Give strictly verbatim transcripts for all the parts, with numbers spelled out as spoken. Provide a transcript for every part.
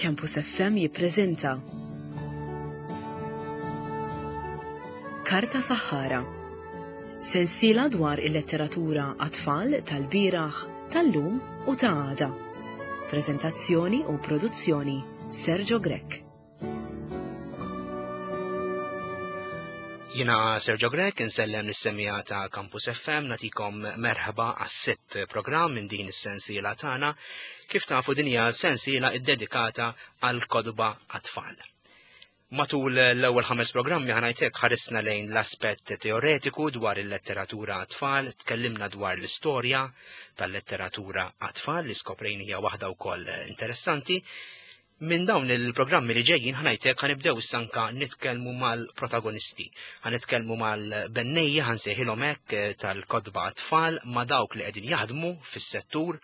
Campus F M jippreżenta Karta Saħħara. Sensiela dwar il-letteratura għat-tfal tal-bieraħ, tal-lum u ta' għada. Prezentazzjoni u produzzjoni Sergio Grech. Jina Sergio Grech, insellem lis-semija ta' Campus F M, natikom merħba għas-sitt programm minn din is-sensiela tagħna. Kif tafu din hija sensiela iddedikata għal kotba għat-tfal. Matul l-ewwel ħames programmi ħanajtek ħarisna lejn l-aspett teoretiku dwar il-letteratura għat-tfal, tkellimna dwar l-istorja tal-letteratura għat-tfal li skoprejn hija waħda wkoll interessanti. Minn dawn il-programmi li ġejjin ħanajtek ħanibdew issa anka nitkellmu mal-protagonisti. Ħanitkellmu mal-bennejja, ħansejħilhom hekk tal-kotba għat-tfal, ma' dawk li qegħdin jaħdmu fis-settur,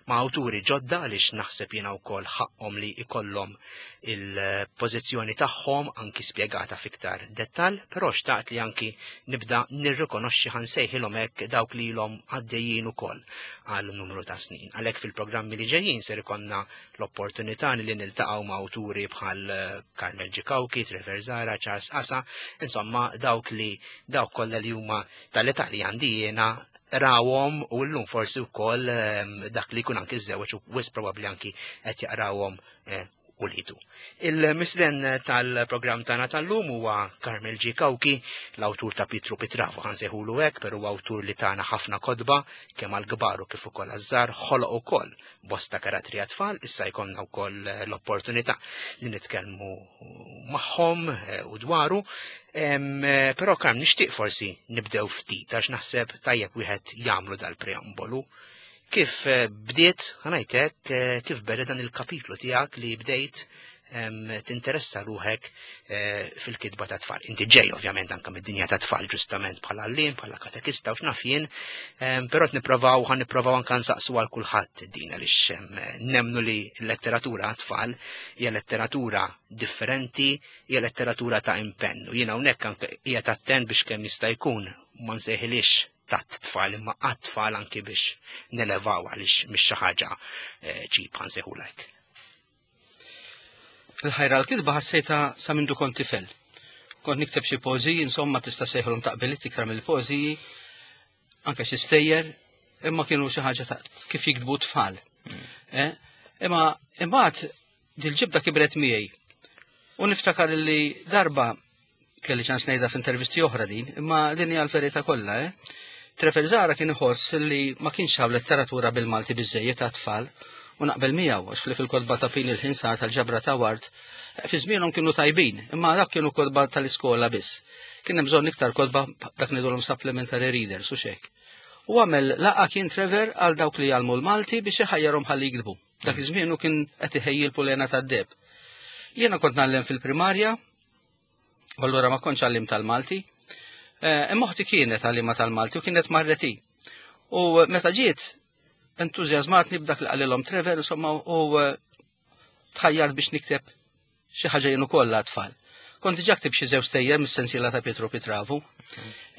ma' awturi ġodda għaliex naħseb jiena wkoll ħaqhom li ikollhom il-pożizzjoni tagħhom anki spjegata fiktar dettall, però xtaqt li anki nibda nirrikonoxxi ħansejħilhom hekk dawk li ilhom għaddejjin ukoll għal numru ta' snin. Għalhekk fil-programmi li ġejjin ser ikollna l-opportunità li niltaqgħu ma' awturi bħal Carmel G. Cauchi, Trevor Zahra, Charles Asa, insomma dawk li dawk kollha li huma tal-età li għandi jiena rawhom u llum forsi wkoll, ehm, dak li jkun anki żewġ u wisq probabbli anki qed jaqrawhom, eh, ulidu. Il-mislen tal-programm tagħna tal-lum huwa Carmel G. Cauchi, l-awtur ta' Pietru Pitravu, ħansejħulu hekk, però huwa awtur li tagħna ħafna kotba kemm għall-kbar u kif ukoll għaż-żgħar, ħoloq ukoll bosta karattri għat-tfal, issa jkollna wkoll l-opportunità li nitkellmu magħhom, eh, u dwaru. Em, eh, però Carm, nixtieq forsi nibdew ftit għax naħseb tajjeb wieħed jagħmlu dal-preambolu. Kif, eh, bdiet, ħanajtek, eh, kif beda dan il-kapitlu tiegħek li bdejt, em, tinteressa ruħek, eh, fil-kitba ta' tfal? Inti ġej ovvjament anke mid-dinja ta' tfal ġustament bħala għalliem, bħala katekista u x'naf jien, em, però qed nipprovaw, ħan nipprovaw anke nsaqsu għal kulħadd din għaliex, em, nemmnu li l-letteratura għat-tfal hija letteratura differenti, hija letteratura ta' impenn. U jiena hawnhekk anke qiegħed attent biex kemm jista' jkun ma nsejħilix tat tfal imma għat-tfal anki biex nelevaw għaliex mhix xi ħaġa, eh, ċip ħansejħulek. Il-ħajra l-kitba ħassejta sa mindu kont tifel. Kont nikteb xi poeżiji, insomma tista' sejħilhom taqbiliet iktar mill-poeżiji, anke xi stejjer, imma kienu xi ħaġa ta' kif jiktbu tfal. Mm. Eh? Imma imbagħad dil-ġibda kibret miegħi. U niftakar li darba kelli ċans ngħidha f'intervisti oħra din, imma din hija l-verità kollha, eh? Trevor Zahra kien iħoss li ma kienx hawn letteratura bil-Malti biżejjed ta' tfal, u naqbel miegħu għax li fil-kotba ta' Pini l-Ħinsar tal-ġabra ta' Ward, fi żmienhom kienu tajbin, imma dak kienu kotba tal-iskola biss. Kien hemm bżonn iktar kotba dak ngħidulhom supplementary readers u xek. U għamel laqa kien Trevor għal dawk li jgħallmu l-Malti biex iħajjarhom ħalli jiktbu. Dak iż-żmien hu kien qed iħejji l-pulena tad-deb. Jiena kont ngħallem fil-primarja, u allura ma kontx għallim tal-Malti. Eh, imma oħti kienet għallima tal-Malti u kienet marreti. U meta ġiet, entużjażmatni b'dak li qalilhom Trevor, insomma, u, eh, tħajjart biex nikteb xi ħaġa jien ukoll għat-tfal. Kont diġà ktib xi żewġ stejjer mis-sensiela ta' Pietru Pitravu.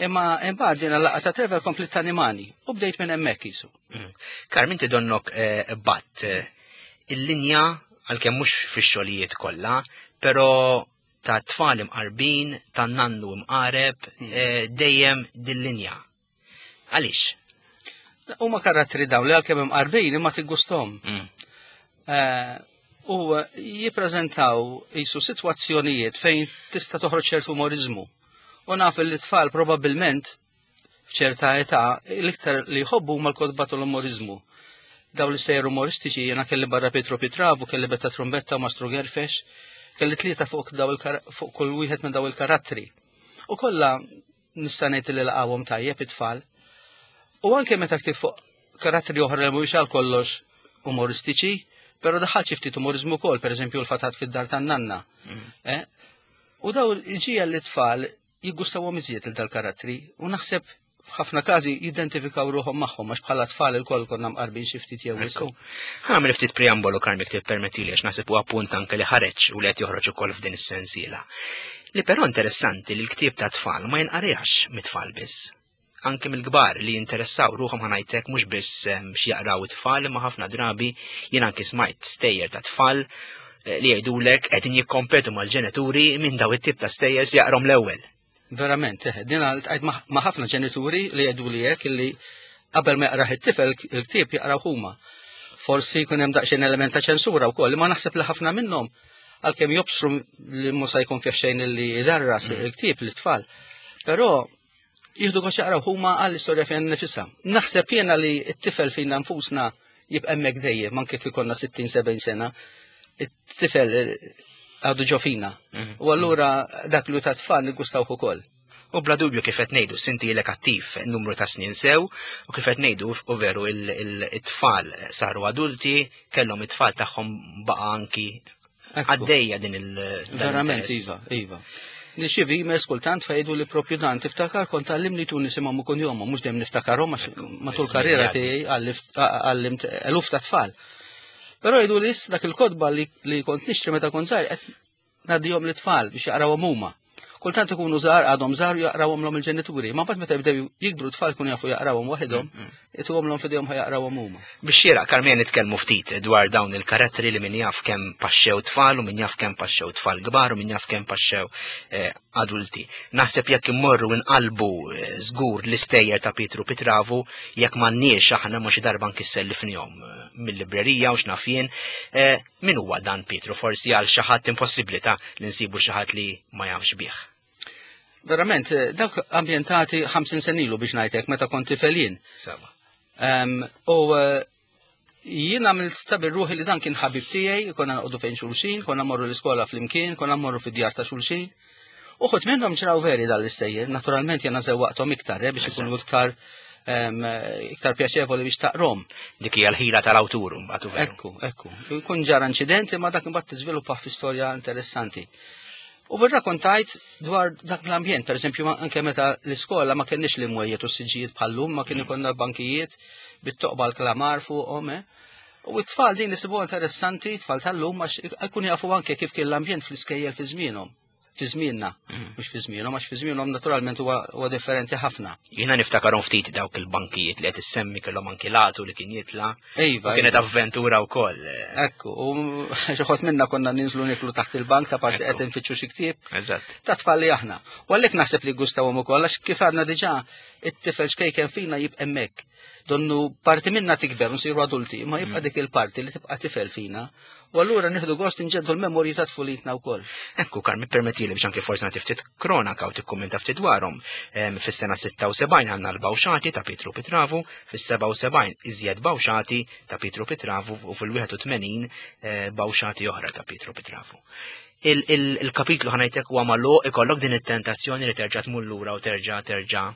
Imma imbagħad din il-laqgħa ta' Trevor komplet tanimani u bdejt minn hemmhekk qisu. Mm. Carm, inti donnok, eh, batt, eh, il-linja għalkemm mhux fix-xogħlijiet kollha, però ta' tfal imqarbin, ta' nannu imqareb, Mm. eh, dejjem dil-linja. Għaliex? Huma karattri dawn li għalkemm imqarbin imma tiggusthom. Mm. Eh, u jippreżentaw qisu sitwazzjonijiet fejn tista' toħroġ ċertu umorizmu. U naf li t-tfal probabbilment f'ċerta età l-iktar li jħobbu huma l-kotba tal-umorizmu. Dawn l-istejjer umoristiċi jiena kelli barra Pietru Pitravu, kelli Betta Trumbetta u Mastru Gerfex, kelli tlieta fuq daw il-kar-, fuq kull wieħed minn daw il-karattri. U kollha nista' ngħid li laqgħuhom tajjeb it-tfal. U anke meta ktib fuq karattri oħra li mhuwiex għal kollox umoristiċi, però daħal xi ftit umorizmu wkoll, pereżempju l-fatat fid-dar tan-nanna. Mm. Eh? U daw il-ġija li tfal jiggustawhom iżjed il dal-karattri u naħseb f'ħafna każi jidentifikaw ruħhom magħhom għax bħala tfal ilkoll konna mqarbin xi ftit jew Ekku. wisq. Ħa nagħmel ftit preambolu, Carm, jekk tippermettili, għax naħseb huwa punt anke li ħareġ u li qed joħroġ ukoll f'din is-sensiela. Li però interessanti li l-ktieb ta' tfal ma jinqarjax mit-tfal biss. Anke mill-kbar li jinteressaw ruħhom ħanajtek mhux biss, ehm, x'jaqraw it-tfal, imma ħafna drabi jien anke smajt stejjer ta' tfal li jgħidulek qegħdin jikkompetu mal-ġenituri minn daw it-tip ta' stejjer jaqrom l-ewwel. Verament, din għajt ma' ħafna ġenituri li jgħidu li hekk li qabel ma jaqrah it-tifel il-ktieb jaqraw huma. Forsi jkun hemm daqsxejn element ta' ċensura wkoll, ma naħseb li ħafna minnhom għalkemm jobsru li mhux se jkun fih xejn li jdarras il-ktieb lit-tfal. Però jieħdu gost jaqraw huma għall-istorja fejn nifisha. Naħseb jiena li t-tifel fina nfusna jibqa' hemmhekk dejjem, anke kif ikollna sittin sebgħin sena, it-tifel għadu ġo fina. U allura dak li ta' tfal niggustawh ukoll. U bla dubju kif qed ngħidu sinti ilek attiv numru ta' snin sew, u kif qed ngħidu u veru il-tfal saru adulti, kellhom it-tfal tagħhom baqa' anki għaddejja din il- Verament, iva, iva. Nirċievi emails kultant fejdu li propju dan, tiftakar kont għallimni tu nisimhom u kunjomhom, mhux dejjem niftakarhom għax matul karriera tiegħi għallimt eluf ta' tfal. Però jgħidu li issa dak il-kotba li kont nixtri meta kont żgħir qed ngħaddihom lit-tfal biex jaqrawhom huma. Kultant ikunu żgħar, għadhom żgħar jaqrawhom lhom il-ġenituri, ma mbagħad meta jibdew jikbru tfal jkunu jafu jaqrawhom waħedhom, ituhom lhom f'idejhom ħa jaqrawhom huma. Biex xieraq, Karmen, nitkellmu ftit dwar dawn il-karattri li min jaf kemm paxxew tfal u min jaf kemm paxxew tfal kbar u min jaf kemm paxxew adulti. Naħseb jekk immorru nqalbu żgur l-istejjer ta' Pietru Pitravu, jekk m'għandniex aħna ma xi darba nkissellifnihom mill-librerija u x'naf jien, min huwa dan Pietru? Forsi għal xi ħadd impossibbli ta' li nsibu xi ħadd li ma jafx bih. Verament, dawk ambjentati ħamsin sena ilu biex ngħidlek meta kont tifel jien. Sewa. U jien għamilt ta' ruħi li dan kien ħabib tiegħi, konna noqogħdu fejn xulxin, konna mmorru l-iskola flimkien, konna mmorru fid-djar ta' xulxin. Uħud minnhom ġraw veri dal-istejjer, naturalment jiena żewwaqthom iktar, eh, biex ikunu iktar iktar pjaċevoli biex taqrom. Dik hija l-ħila tal-awtur mbagħad veru. Ekku, ekku. Jkun ġara inċident imma dak imbagħad tiżviluppa fi storja interessanti. U rrakkontajt dwar dak l-ambjent, per eżempju, anke meta l-iskola ma kenniex li mwejjed u s-siġġijiet bħallum, ma kien ikollna bankijiet bit-toqba l-klamar fuqhom, eh. U t-tfal din isibuha interessanti, t-tfal tal-lum, għax ikun jafu anke kif kien l-ambjent fl-iskejjel fi żmienhom. Fi żmienna, mhux fi żmienhom, għax fi żmienhom naturalment huwa huwa differenti ħafna. Jiena niftakarhom ftit dawk il-bankijiet li qed issemmi kellhom anki latu li kien jitla'. Iva, Kienet iva. avventura wkoll. Ekku, u xi ħadd minna konna ninżlu niklu taħt il-bank ta' parsi qed infittxu xi ktieb. Eżatt. Ta' tfal li aħna. U għalhekk naħseb li gustawhom ukoll għax kif għadna diġà it-tifel xkejken fina jibqa' hemmhekk. Donnu parti minna tikber nsiru adulti, ma jibqa' dik il-parti li tibqa' tifel fina. U allura nieħdu gost inġeddu l-memorji ta' tfulitna wkoll. Ekku, Karmi, permettili biex anke forsi nagħti ftit kronaka u tikkummenta ftit dwarhom. Fis-sena sitta u sebgħin għandna l-Bawxati ta' Pietru Pitravu, fis-seba' u sebgħin iżjed Bawxati ta' Pietru Pitravu u fil-wieħed u tmenin Bawxati oħra ta' Pietru Pitravu. Il-kapitlu ħanajtek huwa magħluq, ikollok din it-tentazzjoni li terġa' tmur lura u terġa' terġa'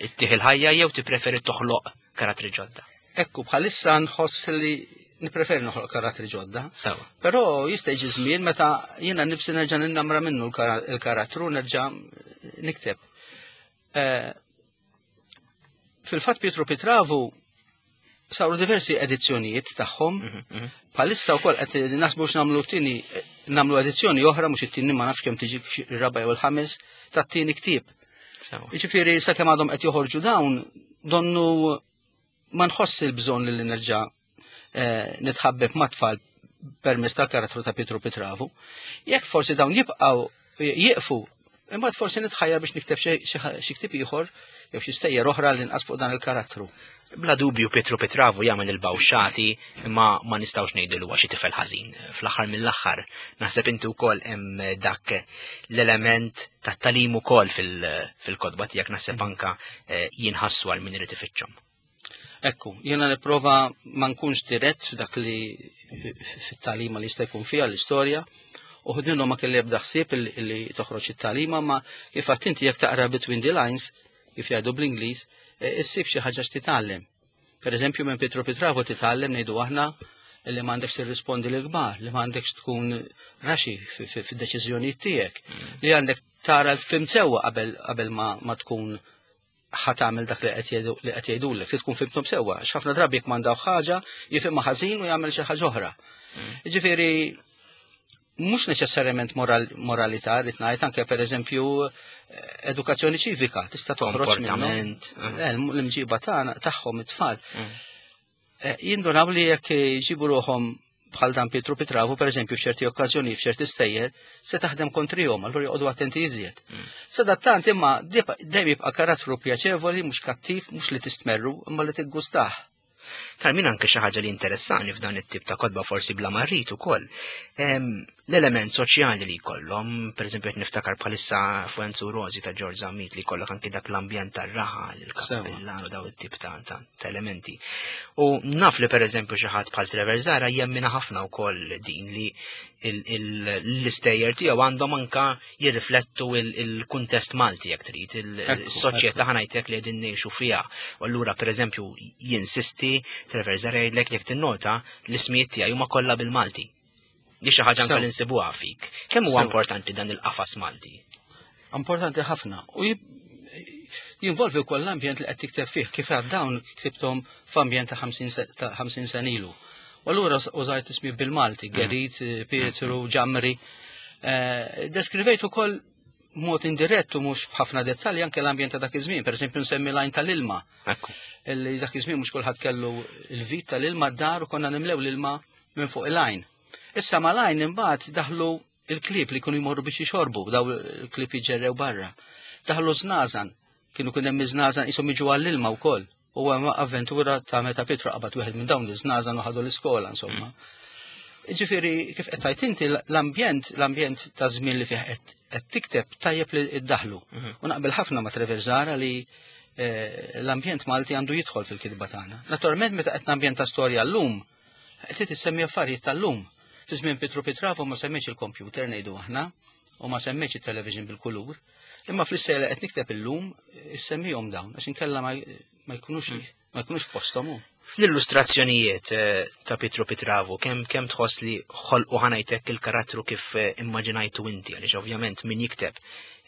ittih il-ħajja jew tippreferi toħloq karattri ġodda? Ekku, bħalissa nħoss li nipreferi noħloq karattri ġodda. Sewa. Però jista' jiġi żmien meta jiena nifsi nerġa' ninnamra minnu l-karattru nerġa' nikteb. Fil-fatt Pietru Pitravu saru diversi edizzjonijiet tagħhom. Bħalissa wkoll qed naħsbu x'nagħmlu t-tieni, nagħmlu edizzjoni oħra, mhux it-tieni ma nafx kemm tiġi ir-raba' jew il-ħames tat-tieni ktieb. Sewa. Jiġifieri sakemm għadhom qed joħorġu dawn, donnu ma nħoss il-bżonn li nerġa' nitħabbeb ma' tfal permezz tal-karattru ta' Pietru Pitravu. Jekk forsi dawn jibqgħu jieqfu, imbagħad forsi nitħajjar biex nikteb xi ktieb ieħor jew xi stejjer oħra li nqas fuq dan il-karattru. Bla dubju Pietru Pitravu jagħmel il-bawxati imma ma nistgħux ngħidu li huwa xi tifel ħażin. Fl-aħħar mill-aħħar naħseb inti wkoll hemm dak l-element tat-talim ukoll fil-kotba tiegħek naħseb anka jinħassu għal min irid ifittxhom. Ekku, jiena nipprova ma nkunx dirett f'dak li fit-talima li jista' jkun fiha l-istorja. Uħud minnhom ma kelli ebda ħsieb li toħroġ it-talima, ma kif għedt inti jekk taqra between the lines, kif jgħidu bl-Ingliż, issib xi ħaġa x'titgħallem. Per eżempju, minn Pietru Pitravu titgħallem ngħidu aħna li m'għandekx tirrispondi lil kbar, li m'għandekx tkun raxi fid-deċiżjonijiet tiegħek, li għandek tara l-film sewwa qabel qabel ma tkun ħa tagħmel dak li qed jgħidulek, trid tkun fimthom sewwa, għax ħafna drabi jekk m'għandaw ħaġa, jifhimha ħażin u jagħmel xi ħaġa oħra. Jiġifieri mhux neċessarjament moralità, rrid ngħid anke pereżempju edukazzjoni ċivika tista' toħroġ minnhom. Komportament. L-imġiba tagħna tagħhom it-tfal. Jindunaw li jekk jġibu ruħhom bħal dan Pietru Pitravu, per eżempju, f'ċerti okkażjoni, f'ċerti stejjer, se taħdem kontrihom, allura joqogħdu attenti iżjed. Mm. Sadattant imma dejjem jibqa' karattru pjaċevoli, mhux kattiv, mhux li tistmerru, imma li tiggustah. Karmin, anke xi ħaġa li interessani f'dan it-tip ta' kotba, forsi bla ma rrid ukoll. L-element soċjali li jkollhom, pereżempju qed niftakar bħalissa Fuenzu Rosi ta' George Zammit li jkollok anke dak l-ambjent tar-raħal, il-kappellan u daw it-tip ta' ta' elementi. U naf li pereżempju xi ħadd bħal Trevor Zara jemmina ħafna wkoll din li l-istejjer tiegħu għandhom anka jirriflettu il-kuntest Malti jekk trid, il-soċjetà ħanajtek li qegħdin ngħixu fiha. U allura pereżempju jinsisti Trevor Zara jgħidlek jekk tinnota l-ismijiet tiegħi huma kollha bil-Malti. Di xi ħaġa anke li nsibuha fik. Kemm huwa importanti dan il-qafas Malti? Importanti ħafna. U jinvolvi wkoll l-ambjent li qed tikteb fih, kif għad dawn ktibthom f'ambjent ta' ħamsin sena ilu. U allura użajt ismi bil-Malti, Gerit, Pietru, Ġamri. Deskrivejt ukoll mod indirett u mhux b'ħafna dettalji anke l-ambjent ta' dak iż-żmien, pereżempju nsemmi lajn tal-ilma. Illi dak iż-żmien mhux kulħadd kellu l-vit tal-ilma d-dar u konna nimlew l-ilma minn fuq il-lajn. Issa ma lajn imbagħad daħlu il-klieb li kienu jmorru biex jixorbu, daw il-klieb jiġġerrew barra. Daħlu żnażan, kienu kien hemm iż-żnażan qishom jiġu għall-ilma wkoll. U hemm avventura ta' meta Pietru qabad wieħed minn dawn iż-żnażan u ħadu l-iskola, insomma. Ġifieri kif qed tgħid inti l-ambjent, l-ambjent ta' żmien li fih qed tikteb tajjeb li iddaħlu. U naqbel ħafna ma' Trevor Zara li l-ambjent Malti għandu jidħol fil-kitba tagħna. Naturalment meta qed nambjenta storja llum, qed tissemmi affarijiet tal-lum. Fi żmien Pietru Pitravu ma semmitx il-kompjuter ngħidu aħna, u ma semmitx it-television bil-kulur, imma fl-istejjer qed nikteb illum issemmihom dawn għax inkella ma jkunux ma jkunux f'posthom. Fl-illustrazzjonijiet ta' Pietru Pitravu, kemm kemm tħoss li ħolqu ħanajtek il-karattru kif immaġinajtu inti, għaliex ovvjament min jikteb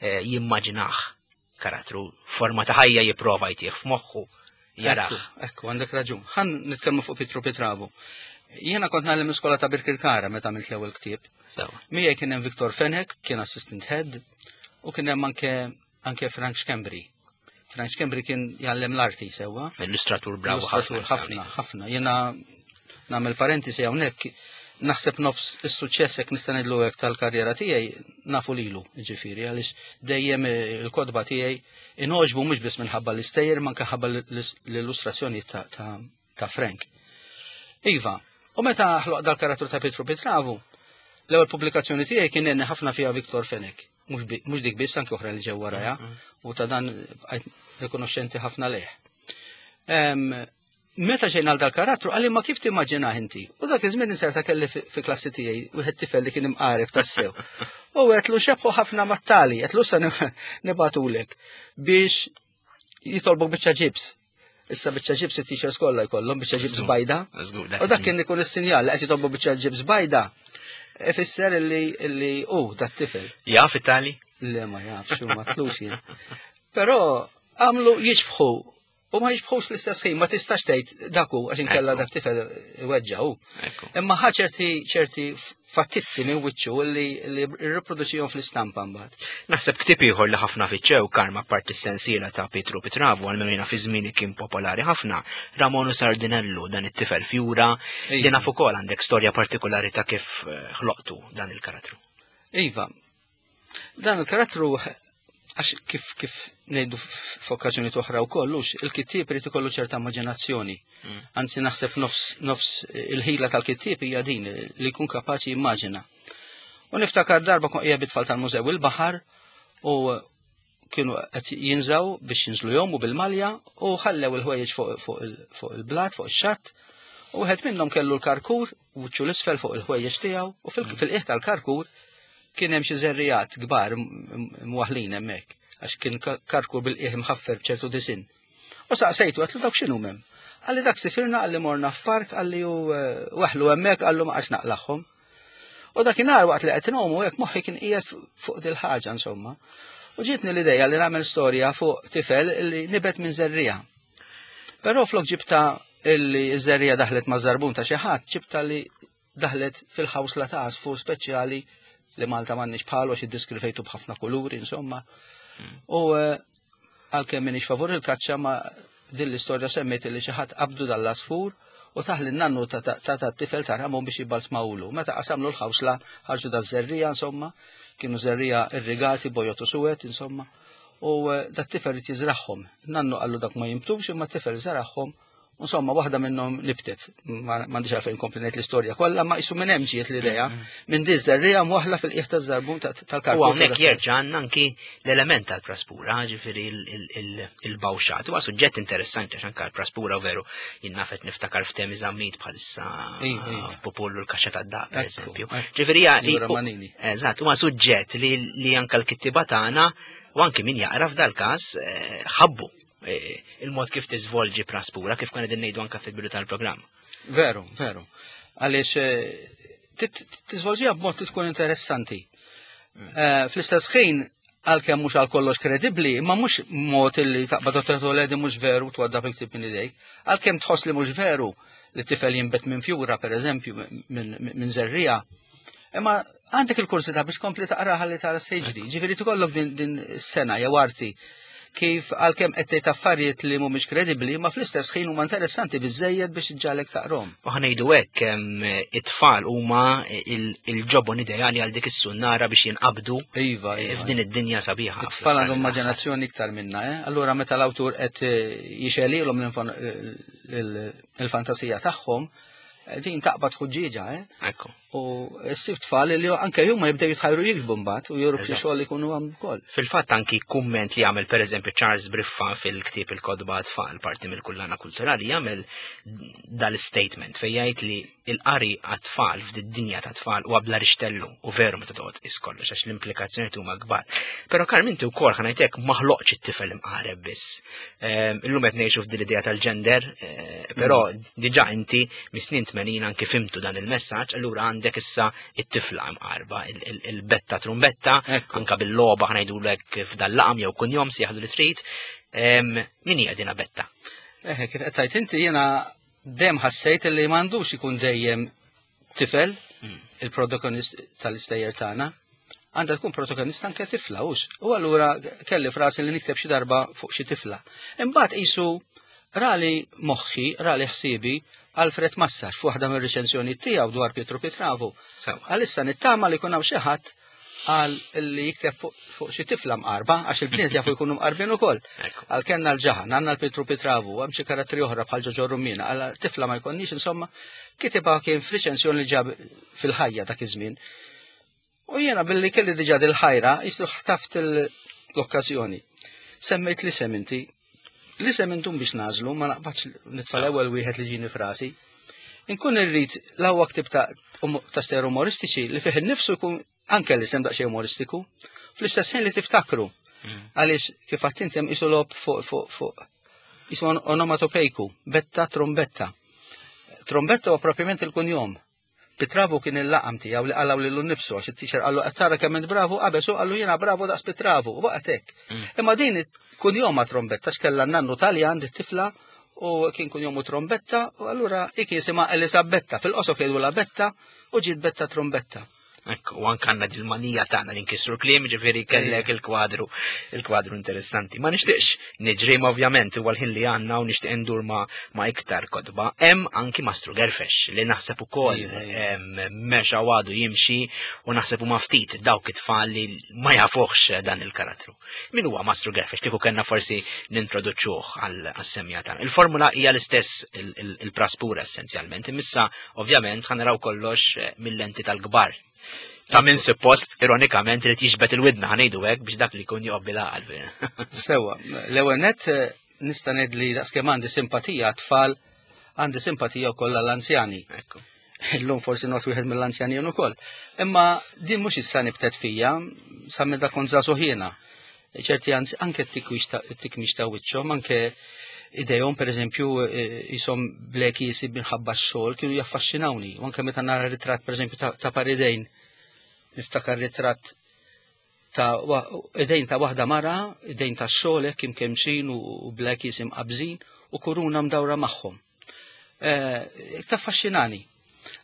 jimmaġinah karattru, forma ta' ħajja jipprova jtih f'moħħu jarah. Ekku, għandek raġun. Ħan nitkellmu fuq Pietru Pitravu. Jiena kont ngħallem l-iskola ta' Birkirkara meta għamilt l-ewwel ktieb. Miegħi kien hemm Viktor Fenech, kien assistant head, u kien hemm anke anke Frank Schembri. Frank Schembri kien jgħallem l-arti sewwa. Illustratur bravu ħafna. Ħafna, ħafna. Jiena nagħmel parentesi hawnhekk, naħseb nofs is-suċċess jekk nista' ngħidlu hekk tal-karriera tiegħi nafu lilu, jiġifieri, għaliex dejjem il-kotba tiegħi inogħġbu mhux biss minħabba l-istejjer, ma anke ħabba l-illustrazzjoni ta' Frank. Iva, u meta ħloq dal-karattru ta' Pietru Pitravu, l-ewwel pubblikazzjoni tiegħi kien għenni ħafna fiha Viktor Fenech. Mhux dik biss, anke oħra li ġew warajha, u ta' dan bqajt rikonoxxenti ħafna lejh. Meta ġejna għal dal-karattru, qalli ma kif timmaġinah inti? U dak iż-żmien inserta kelli fi klassi tiegħi wieħed tifel li kien imqareb tassew. U għedtlu xebħu ħafna mat-tali, għedtlu issa nibatulek biex jitolbok biċċa ġibs. Issa biċċa ġibs it-teachers kollha jkollhom biċċa ġibs bajda. U dak kien ikun is-sinjal li qed jitolbu biċċa ġibs bajda. Ifisser illi illi hu dat tifel. Jaf it-tali? Le ma jafx u ma tlux jien. Però għamlu jiġbħu u ma jiġbħux fl-istess ħin, ma tistax tgħid dak hu għax inkella dak tifel iweġġa' hu. Imma ħa ċerti ċerti fattizzi minn wiċċu li li rriproduċihom fl-istampa mbagħad. Naħseb ktieb ieħor li ħafna fiċċew Karma apparti s-sensiela ta' Pietru Pitravu għal jiena fi żmieni kien popolari ħafna, Ramonu Sardinellu, dan it-tifel fjura, li naf ukoll għandek storja partikolari ta' kif ħloqtu dan il-karattru. Iva, dan il-karattru għax kif kif ngħidu f'okkażjoni oħra wkoll, hux il-kittieb irid ikollu ċerta immaġinazzjoni. Anzi naħseb nofs nofs il-ħila tal-kittieb hija din li jkun kapaċi jimmaġina. U niftakar darba kont qiegħed bit-tfal tal-mużew il-baħar u kienu qed jinżaw biex jinżlu jom u bil-malja u ħallew il-ħwejjeġ fuq il-blat, fuq ix-xatt, u wieħed minnhom kellu l-karkur wiċċu l-isfel fuq il-ħwejjeġ tiegħu u fil-qiegħ tal-karkur kien hemm xi żerrijat kbar mwaħlin hemmhekk għax kien karkur bil-qiegħ mħaffer b'ċertu disinn. U saqsejtu għedtlu dawk x'inhu hemm. Qalli dak sifirna, qalli morna f'park, qalli u waħlu hemmhekk, qallu ma qgħadx naqlaħhom. U dakinhar waqt li qed inhom hekk moħħi kien qiegħed fuq dil-ħaġa insomma. U ġietni l-idea li nagħmel storja fuq tifel li nibet minn żerrija. Però flok ġibta illi ż-żerrija daħlet ma' żarbun ta' xi ħadd, ġibta li daħlet fil-ħawsla ta' għasfur speċjali li Malta m'għandniex bħalu għax iddiskrivejtu b'ħafna kuluri, insomma. U għalkemm m'iniex favur il-kaċċa ma din l-istorja semmiet li xi ħadd qabdu dal-għasfur U taħli n-nannu ta' ta' tifel ta' ramon biex jibbalsmawlu. Meta qasamlu l-ħawsla ħarġu da' żerrija, insomma, kienu żerrija irrigati bojot u suwed, insomma. U da' tifel irid jiżragħhom. Nannu qallu dak ma jimtux, imma t-tifel żaragħhom. Insomma, waħda minnhom nibtet. M'għandix għalfejn kompli ngħid l-istorja kollha, ma qisu minn hemm ġiet l-idea minn di żerrija mwaħla fil-qiegħ taż-żarbun tal-karkuf. U hawnhekk jerġa' għandna anki l-element tal-praspura, ġifieri il-bawxat. Huwa suġġett interessanti għax anke l-praspura veru jien nafet niftakar f'temi Zammit bħalissa f'Popollu l-kaxxa tad-daq, pereżempju. Ġifieri eżatt, huwa suġġett li anke l-kittiba tagħna u anki min jaqra f'dal-każ ħabbu il-mod kif tiżvolġi praspura, kif kien qegħdin ngħidu anke fil-bidu tal-programm. Veru, veru. Għaliex tiżvolġiha b'mod li tkun interessanti. Fl-istess ħin, għalkemm mhux għal kollox kredibbli, imma mhux mod li taqbad u di mhux veru twadda bil-ktieb minn idejk. Għalkemm tħoss li mhux veru li tifel jinbet minn fjura, pereżempju, minn żerrija. Imma għandek il-kursità biex kompli taqraha li tara x'jiġri. Ġifieri tkollok din is-sena jew arti kif għalkemm qed tgħid affarijiet li mhumiex kredibbli, ma fl-istess ħin huma interessanti biżejjed biex iġġalek taqrom. U ħanejdu hekk it-tfal huma il-ġobon ideali għal dik is-sunnara biex jinqabdu iva, iva. f'din id-dinja sabiħa. It-tfal għandhom immaġinazzjoni iktar minna, eh? Allura meta l-awtur qed jixelilhom il-fantasija tagħhom, din taqbad ħuġġieġa, eh? Ekku. U ssib tfal li anke huma jibdew jitħajru jikbu mbagħad u juru xi xogħol ikunu għam ukoll. Fil-fatt anki kumment li jagħmel pereżempju Charles Briffa fil-ktieb il-Kotba Tfal parti mill-kullana kulturali jagħmel dal-statement fejn jgħid li l-qari għat-tfal f'did-dinja ta' tfal huwa bla rixtellu u veru meta toqgħod tqis kollox għax l-implikazzjonijiet huma kbar. Però Karm inti wkoll ħa ngħidlek ma ħloqx it-tifel imqareb biss. Illum qed ngħixu f'din l-idea tal-gender, però diġà inti mis-snin tmenin anki fimtu dan il-messaġġ, allura għandek issa it-tifla imqarba, il-betta trumbetta, anka bil-logħba ħa ngħidulek f'dal-laqam jew kunjom si jaħdu li trid. Min hija dina Betta? Eħe, kif qed tgħid inti jiena dejjem ħassejt li m'għandux ikun dejjem tifel il-protagonist tal-istejjer tagħna. Għandha tkun protagonista anke tifla hux. U allura kelli frasi li nikteb xi darba fuq xi tifla. Imbagħad qisu rali moħħi, rali ħsiebi Alfred Massar f'waħda mir-riċensjoni tiegħu dwar Pietro Pitravu. Għalissa nittama li jkun hawn xi ħadd għal li jikteb fuq xi tifla mqarba, għax il-bniet jafu jkunu mqarbin ukoll. Għal kellna l-ġaħan, għandna l-Pietro Pitravu, hemm xi karatteri oħra bħal Ġoġo Rummina, għal tifla ma jkollniex, insomma, kitibha kien f'riċensjoni li ġab fil-ħajja dak iż-żmien. U jiena billi kelli diġà dil-ħajra, jisu ħtaft l-okkażjoni. Semmejt li sem inti, li sem intum biex nażlu, ma naqbadx nitfa' l-ewwel wieħed li ġini frasi. Inkun irrid l-ewwel ktib ta' ta' stejjer umoristiċi li fih innifsu jkun anke li sem daqsxejn umoristiku, fl-istess ħin li tiftakru. Għaliex kif għadt inti hemm qisu logħob fuq fuq fuq qisu onomatopejku, betta trombetta. Trombetta huwa propjament il-kunjom. Pitravu kien il-laqam tiegħu li qalaw lilu nnifsu għax it-teacher qallu qed tara kemm int bravu, qabeż u qallu jiena bravu daqs Pitravu, u baqgħet hekk. Imma din kunjom ma' trombetta x'kellha n-nannu Taljan dit tifla u kien kunjomu trombetta u allura hi kien jisimha Elisabetta, fil-qosor jgħidulha Betta u ġiet Betta Trombetta. Ekku, u anke għandna dil-manija tagħna li nkissru kliem, ġifieri kellek il-kwadru, il-kwadru interessanti. Ma nixtieqx niġri, ma ovvjament huwa l-ħin li għandna u nixtieq ndur ma, ma iktar kotba. Hemm anki Mastru Gerfex li naħseb ukoll mexa u għadu jimxi u naħseb huma ftit dawk it-tfal li ma jafuhx dan il-karattru. Min huwa Mastru Gerfex? Kieku kellna forsi nintroduċuh għas-semja tagħna. Il-formula hija l-istess il-praspura essenzjalment, imissa ovvjament ħa naraw kollox mill-lenti tal-kbar. Ta' minn suppost, ironikament, li tixbet il-widna ħanejdu hekk biex dak li jkun joqgħod bil-għaqal. Sewa, l-ewwel nett nista' ngħid li daqskemm għandi simpatija għat-tfal, għandi simpatija wkoll għall-anzjani. Illum forsi not wieħed mill-anzjani jien ukoll. Imma din mhux issa nibtet fija, sa minn dak kont żagħżugħ jiena. Ċerti anke t-tikmix ta' wiċċhom, anke idejhom pereżempju jisom bleki jisib minħabba x-xogħol kienu jaffaxxinawni. U anke meta nara ritratt pereżempju ta' paridejn, niftakar ritratt ta' idejn ta' waħda mara, idejn ta' xogħol hekk imkemxin u blek jisim qabżin u kuruna mdawra magħhom. Taffaxxinani.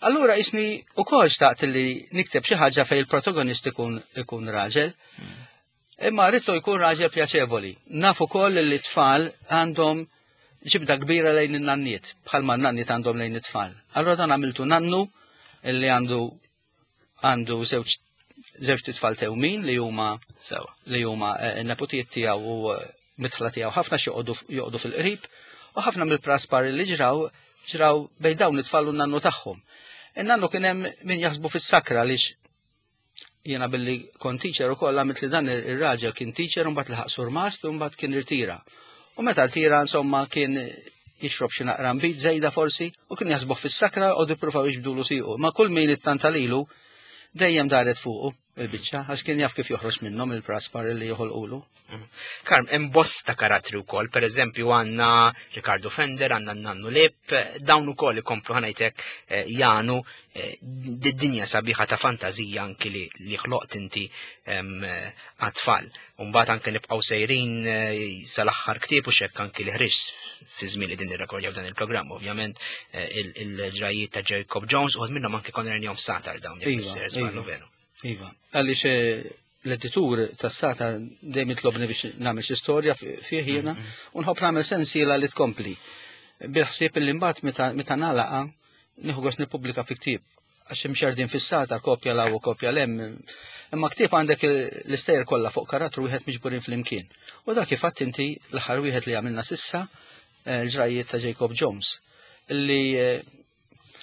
Allura isni ukoll xtaqt li nikteb xi ħaġa fejn il-protagonist ikun, ikun raġel. Imma rridtu jkun raġel pjaċevoli. Naf ukoll li t-tfal għandhom ġibda kbira lejn in-nanniet, bħalma n-nanniet għandhom lejn it-tfal. Allora dan għamiltu nannu illi għandu għandu żewġ żewġ tfal tewmin li huma Sewa. li huma eh, n-nepotijiet tiegħu u eh, mitħla tiegħu ħafna xi joqogħdu joqogħdu fil-qrib u ħafna mill-praspar li ġraw ġraw bejn dawn it-tfal u n-nannu tagħhom. In-nannu kien hemm min jaħsbu fis-sakra għaliex jiena billi kont teacher ukoll għamilt li dan ir-raġel kien teacher u mbagħad laħaq surmast u mbagħad kien irtira. U meta rtira insomma kien jixrob xi naqra nbid żejda forsi u kien jaħsbuh fis-sakra u jippruvaw jiġbdulu siequ. Ma kull min ittanta lilu dejjem daret fuqu il-biċċa għax kien jaf kif joħroġ minnhom il-praspar li joħolqulu. Karm, hemm bosta karattri wkoll, per eżempju għandna Ricardo Fender, għandna Nannu Lip, dawn ukoll ikomplu ħa ngħidlek eh, jagħnu eh, d-dinja sabiħa ta' fantazija anki li, li ħloqt inti em, eh, għat-tfal. Umbagħad anke nibqgħu sejrin eh, sal-aħħar ktieb u xekk anki li ħriġ fi żmien li din nirrekordjaw dan il-programm, ovvjament eh, il- il-ġrajiet ta' Jacob Jones u minnhom anke konna rnihom Sagħtar dawn jekk Iva, sejjer żballu iva. veru. Iva, għaliex eh, l-editur tas-Sagħtar dejjem jitlobni biex nagħmel xi storja fi- fih jiena u nħobb nagħmel sensiela li tkompli. Bil-ħsieb li mbagħad meta meta nagħlaqa nieħu gost nippubblika fi ktieb għax imxerdin fis-Sagħtar kopja 'l hawn u kopja 'l hemm. Imma ktieb għandek l-istejjer kollha fuq karattru wieħed miġburin flimkien. U dak kif għedt inti l-aħħar wieħed li għamilna s'issa eh, l-ġrajiet ta' Jacob Jones illi eh,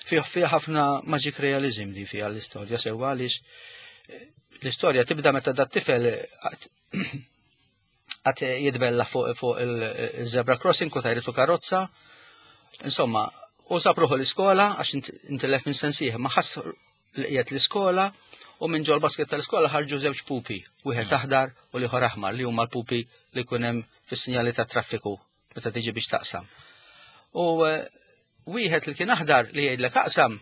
fih fih ħafna magic realism li fiha l-istorja sewwa għaliex eh, l-istorja tibda meta dat tifel għat jitbella fuq fuq il-zebra crossing u tajritu karozza. Insomma, u sab ruħu l-iskola għax int- intilef minn sensih, ma ħass li qiegħed l-iskola u minn ġol basket tal-iskola ħarġu żewġ pupi, wieħed aħdar u l-ieħor aħmar li huma l-pupi li jkun hemm fis-sinjali tat traffiku meta tiġi biex taqsam. U eh, wieħed li kien aħdar li jgħidlek aqsam,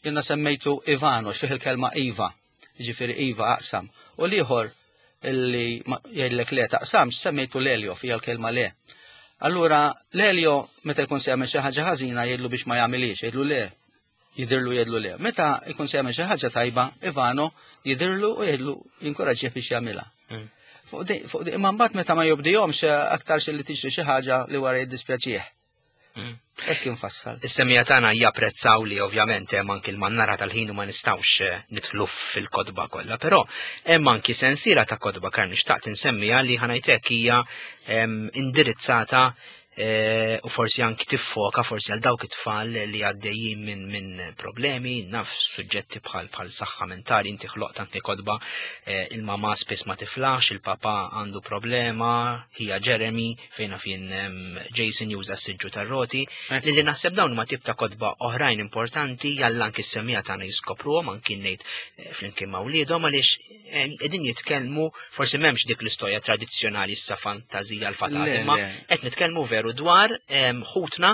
jiena semmejtu Ivano, fih il-kelma Iva, ġifieri Iva aqsam. U l-ieħor illi ma- jgħidlek le taqsam, semmejtu Lelio fija l-kelma le. Allura, Lelio, meta jkun se jagħmel xi ħaġa ħażina jgħidlu biex ma jagħmilix, jgħidlu le, jidirlu jgħidlu le. Meta jkun se jagħmel xi ħaġa tajba, Ivano jidirlu u jgħidlu jinkoraġġih biex jagħmilha. Mm. Fuq di, fuq di, imma mbagħad meta ma jobdihomx aktar li tiġri xi ħaġa li wara jiddispjaċih. Mm. Hekk infassal. Is-semmiegħa tagħna japprezzaw li ovvjament hemm anki l-mannara tal-ħin u ma nistgħux eh, nidħlu fil-kotba kollha, però hemm anki sensiela ta' kotba Karm nixtaqt insemmiha li ħa ngħidlek hija em, indirizzata eh, u forsi anki tiffoka forsi għal dawk it-tfal li għaddejjin minn min problemi, naf suġġetti bħal bħal saħħa mentali, inti ħloqt anki kotba eh, il-mama spiss ma tiflax, il-papa għandu problema, hija Jeremy, fejn fien em, Jason juża s-siġġu tar-roti, li li naħseb dawn huma tip ta' kotba oħrajn importanti jalla anki s-semmiegħa tagħna jiskopruhom anki ngħid eh, flimkien ma' wliedhom għaliex eh, qegħdin jitkellmu forsi m'hemmx dik l-istorja tradizzjonali issa fantazija l-fatali, Le, imma le. qed nitkellmu veru dwar em, ħutna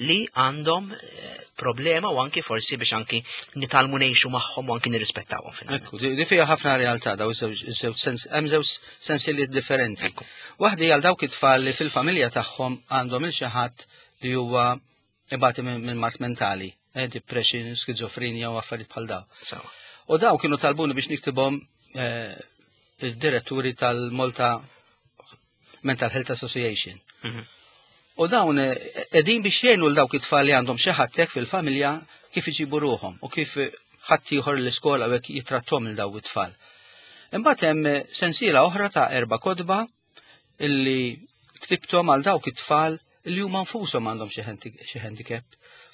li għandhom eh, problema u anki forsi biex anki nitgħallmu ngħixu magħhom u anki nirrispettawhom finalment. Ekku, di di fiha ħafna realtà daw iż-żewġ iż-żewġ sens, hemm żewġ sensiliet differenti. Ekku. Waħda hija għal dawk it-tfal li fil-familja tagħhom għandhom il xi ħadd li huwa ibati minn minn mard mentali, eh, depression, skizofrenja u affarijiet bħal daw. Sawa. U daw kienu talbuni biex niktibhom eh, id-diretturi tal-Malta Mental Health Association. Mhm. U dawn eh, qegħdin biex jgħinu l dawk it-tfal li għandhom xi ħadd hekk fil-familja kif iġibu ruħhom u kif ħadd ieħor l-iskola u hekk jitrattom lil daw it-tfal. Imbagħad hemm sensiela oħra ta' erba' kotba illi ktibthom għal dawk it-tfal illi huma nfushom għandhom xi handi- xi handicap.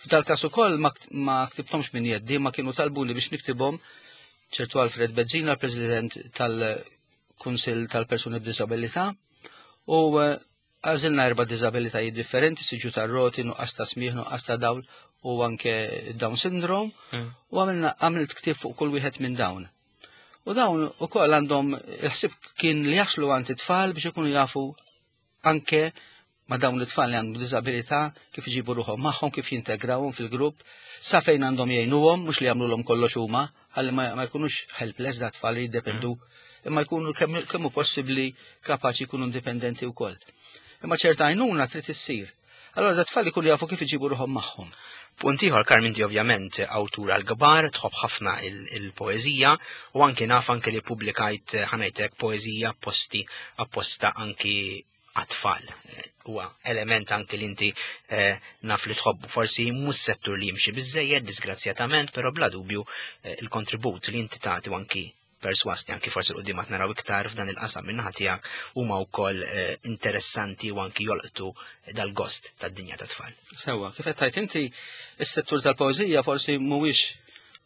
F'dal każ ukoll ma kt- ma ktibthomx minn jeddi, ma kienu talbuni biex niktibhom ċertu Alfred Bezzina, l-President tal-Kunsill tal-Persuni b'Disabilità, u eh, għażilna erba' disabilitajiet differenti, siġġu tar-roti, nuqqas ta' smieħ, nuqqas ta' dawl u anke Down syndrome, Mm. u għamilna għamilt ktieb fuq kull wieħed minn dawn. U dawn ukoll għandhom il-ħsieb kien li jaslu għand it-tfal biex ikunu jafu anke ma dawn it-tfal li għandhom disabilità kif iġibu ruħhom magħhom, kif jintegrawhom fil-grupp, sa fejn għandhom jgħinuhom, mhux li jagħmluhom kollox huma, ħalli ma, ma jkunux helpless da tfal li jiddependu, imma jkunu kemm kemm hu possibbli kapaċi jkunu indipendenti wkoll. Imma ċerta għajnuna trid issir. Allora da tfal ikunu jafu kif iġibu ruħhom magħhom. Punt ieħor, Karm, inti ovvjament awtur għal-kbar, tħobb ħafna il- il-poeżija u anki naf anki li publikajt ħa ngħidlek poeżija posti apposta anki għat-tfal. Eh, huwa element anki li inti eh, naf li tħobbu. Forsi mhux settur li jimxi biżejjed, disgrazzjatament, però bla dubju eh, il-kontribut li inti tagħti u anki perswas li anki forsi l-qudiem qed naraw iktar f'dan il-qasam min-naħa tiegħek huma wkoll eh, interessanti u anki jolqtu dal-gost tad-dinja tat-tfal. Sewa, kif qed tgħid inti, is-settur tal-poeżija forsi mhuwiex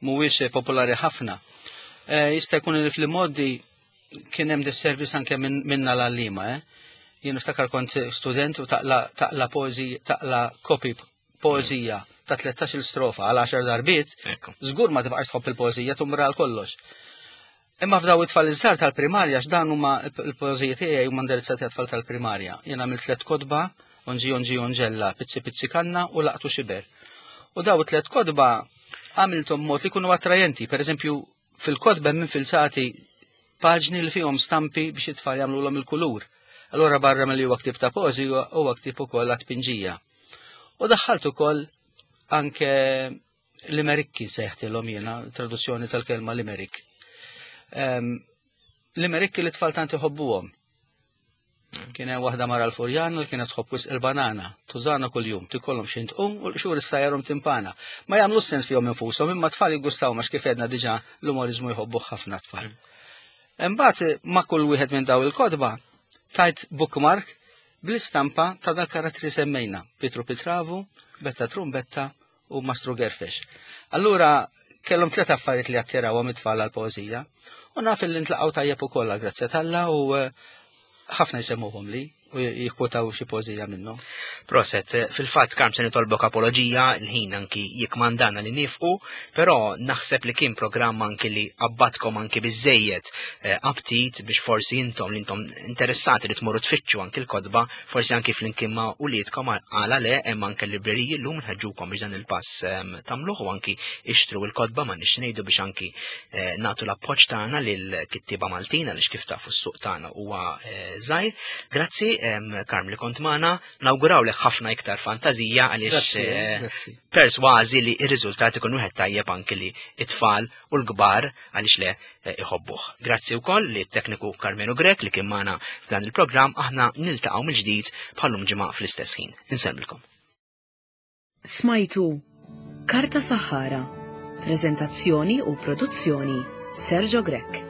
mhuwiex popolari ħafna. Eh, jista' jkun li fl-modi kien hemm disservice anke minna l-għalliema, eh? Jien niftakar kont student u taqla taqla poeżija, taqla kopi poeżija ta' tlettax-il strofa għal għaxar darbiet, Ekku. żgur ma tibqax tħobb il-poeżija, tumra għal kollox. Imma f'daw it-tfal iż-żgħar tal-primarja, x'dan huma l-poeżija tiegħi huma indirizzati għat-tfal tal-primarja. Jien għamilt tliet kotba, Onġi Onġi Onġella, Pizzi Pizzi Kanna u Laqtu Xiber. U daw it-tliet kotba għamilthom mod li jkunu attrajenti. Per eżempju, fil-kotba hemm infilzati paġni li fihom stampi biex it-tfal jagħmluhom il-kulur. Allora barra milli huwa ktieb ta' poeżi huwa ktieb ukoll għat-tpinġija. U daħħalt ukoll anke limerikki sejħtilhom jiena, traduzzjoni tal-kelma limerik. Em, limerikki li tfal tant iħobbuhom. Kien hemm waħda mara l-Furjan li kienet tħobb wisq il-banana, tużana kuljum, tikollhom xi tqum u l-qxur issajjarhom timpana. Ma jagħmlu sens fihom infushom, imma tfal jiggustaw għax kif għedna diġà l-umoriżmu jħobbuh ħafna tfal. Imbagħad ma' kull wieħed minn daw il-kotba tajt bookmark bl-istampa ta' dal-karattri semmejna, Pietru Pitravu, Betta Trumbetta u Mastru Gerfex. Allura kellhom tliet affarijiet li attirawhom it-tfal għall-poeżija u naf li ntlaqgħu tajjeb ukoll grazzi t'Alla u eh, ħafna jsemmuhom li u jikkwotaw xi poeżija minnhom. Proset, fil-fatt Karm se nitolbok apoloġija, il-ħin anki jikmandana li nifqu, però naħseb li kien programm anki li abbatkom anki biżejjed eh, aptit biex forsi intom li intom interessati li tmorru tfittxu anki l-kotba, forsi anki flimkien ma' uliedkom għala le hemm anke l-libreriji llum nħeġġukom biex dan il-pass ehm, tagħmluh u anki ixtru l-kotba ma nix ngħidu biex anki eh, nagħtu l-appoġġ tagħna lil kittieba Maltin għaliex kif tafu s-suq tagħna huwa eh, żgħir. Grazzi em, Karm li kont magħna, nawgurawlek ħafna iktar fantazija għaliex Grazzi, eh, grazzi. persważi li ir-riżultat ikun wieħed tajjeb anki li it-tfal u l-kbar għaliex le eh, iħobbuh. Grazzi wkoll li t-tekniku Carmenu Grek li kien magħna f'dan il-programm aħna niltaqgħu mill-ġdid bħallum ġimgħa fl-istess ħin. Insellmilkom. Smajtu Karta Saħħara. Prezentazzjoni u produzzjoni Sergio Grech.